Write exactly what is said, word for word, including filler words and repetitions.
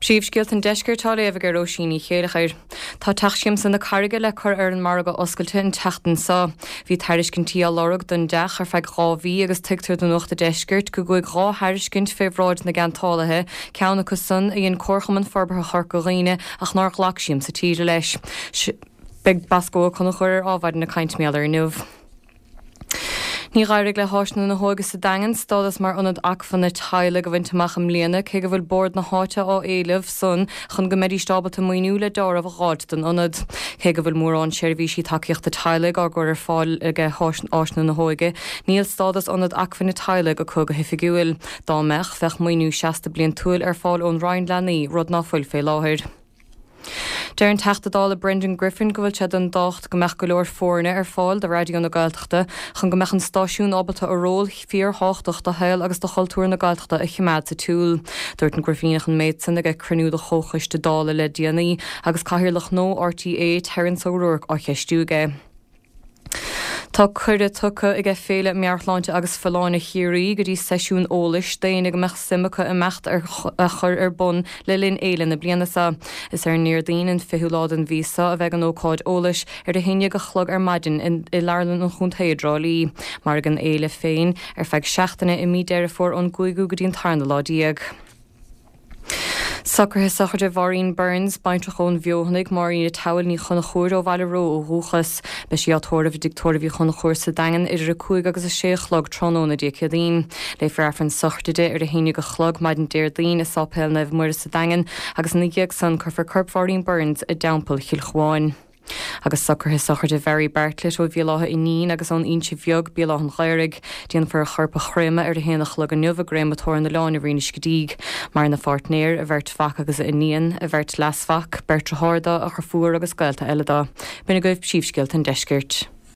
Príomhscéalta an deiscirt á léamh ag Róisín Ní Chéilleachair. Tá Teach Siamsa na Carraige le cur ar an margadh oscailte an tseachtain seo. Bhí tairiscintí á lorg don teach ar feadh dhá mhí agus tuigtear do Nuacht an Deiscirt go gcuaigh dhá thairiscint fé bhráid na gceantálaithe, ceann acu san a dhein Comharchumann Forbartha Chorca Dhuibhne ach nár ghlac Siamsa Tíre leis. Beidh Bosco Ó Conchúir ar Adhmhaidin ag caint mar gheall air inniu. Ní d'éirigh le hÁislann na hÓige sa Daingean stádas mar ionad acmhainne teaghlaigh a bhaint amach i mbliana cé go bhfuil bord na háite á éileamh san chun go mbeidís ábalta maoiniú le deáramh a dh'fháilt don ionad. Cé go bhfuil mórán seirbhísí tacaíochta teaghlaigh á gcur ar fáil ag Áislann na hÓige, níl stádas ionad acmhainne teaghlaigh acu go hoifigiúil. Dá mbeadh bheadh maoiniú seasta bliantúil ar fáil ón Roinn Leanaí rud ná fuil fé láthair. Deir an Teachta Dála Brendan Griffin go bhfuil sé den docht go mbeadh go leor foirne ar fáil do Raidió na Gaeltachta chun go mbeadh an stáisiún ábalta a ról fíorthábhachtach do shaol agus do chultúr na Gaeltachta a choimeád sa tsiúl. Dúirt an Grifíneach an méid san ag cruinniú de chomhchoiste Dála le déanaí agus cathaoirleach nua RTÉ Terence O'Rourke á cheistiú aige. Tá cuireadh tugtha aige Féile Meabhairshláinte agus Folláine Chiarraí go dtí seisiún eolais d'éinne go mbeadh suim acu imeacht ar a chur ar bun le linn fhéile na bliana seo. Is ar an Déardaoin an fichiú lá den mhí seo a bheidh an ócáid eolais ar a haon déag a chlog ar maidin i Leabharlann an Chontae i dTrá Lí. Mairfidh an fhéile féin ar feadh seachtaine i mí Deireadh Fómhair ón gcúigiú go dtí an tarna lá déag. Socruithe sochraide Mhaureen Burns, baintreach ón Bhfeothanaigh, Máirín Towel Ní Chonchúir ó Bhaile Ró ó dhúchas. Beidh sí á tórramh i dtigh tórraimh Uí Chonchúir sa Daingean idir a cúig agus a sé a chlog tráthnóna Dé Céadaoin. Léifear Aifreann sochraide di ar a haon déag a chlog maidin Déardaoin i Sáipéal Naomh Muire sa Daingean agus ina dhiaidh san cuirfear corp Mhaureen Burns i dTeampall Chill Chuáin. Agus socruithe sochraide Mhary Bartlett ó Bhéal Átha Fhínín agus ón Inse Bheag Béal Átha an Ghaorthaidh, déanfar a chorp a chréamadh ar a haon a chlog inniu i gcréamatóir na Láine Rinn Scidígh, Maireann a pháirtnéir, a bheirt mhac agus a iníon, a bheirt leasmhac, beirt dearthár dó, a dheirfiúr agus gaolta eile dó. B'in agaibh príomhscéalta an deiscirt.